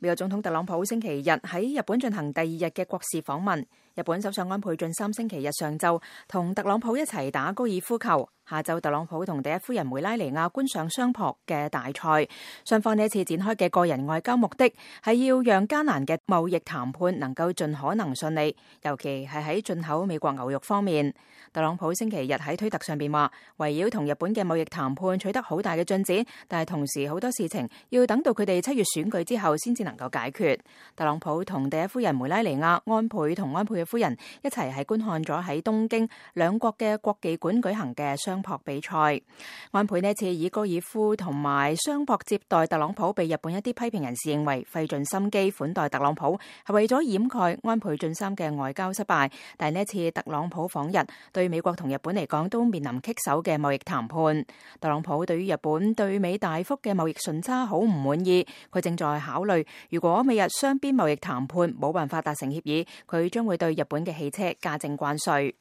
美國總統特朗普星期日喺日本進行第二日嘅國事訪問。日本首相安倍晉三星期日上晝同特朗普一齊打高爾夫球，下晝特朗普同第一夫人梅拉尼亞觀賞相撲嘅大賽。雙方呢一次展開嘅個人外交目的係要讓艱難嘅貿易談判能夠盡可能順利，尤其係喺進口美國牛肉方面。特朗普星期日喺推特上邊話，圍繞同日本嘅貿易談判取得好大嘅進展，但係同時好多事情要等到佢哋7月選舉之後先至能夠解決。特朗普同第一夫人梅拉尼亞、安倍同安倍嘅夫人一齊係觀看咗喺東京兩國嘅國技館舉行嘅相撲比賽。安倍呢次以高爾夫同埋相撲接待特朗普，被日本一啲批評人士認為費盡心機款待特朗普，係為咗掩蓋安倍晉三嘅外交失敗。但係呢次特朗普訪日，對美國同日本嚟講都面臨棘手嘅貿易談判。特朗普對於日本對美大幅嘅貿易順差好唔滿意，佢正在考慮，如果美日雙邊貿易談判冇辦法達成協議，佢將會對日本嘅汽車加徵關稅。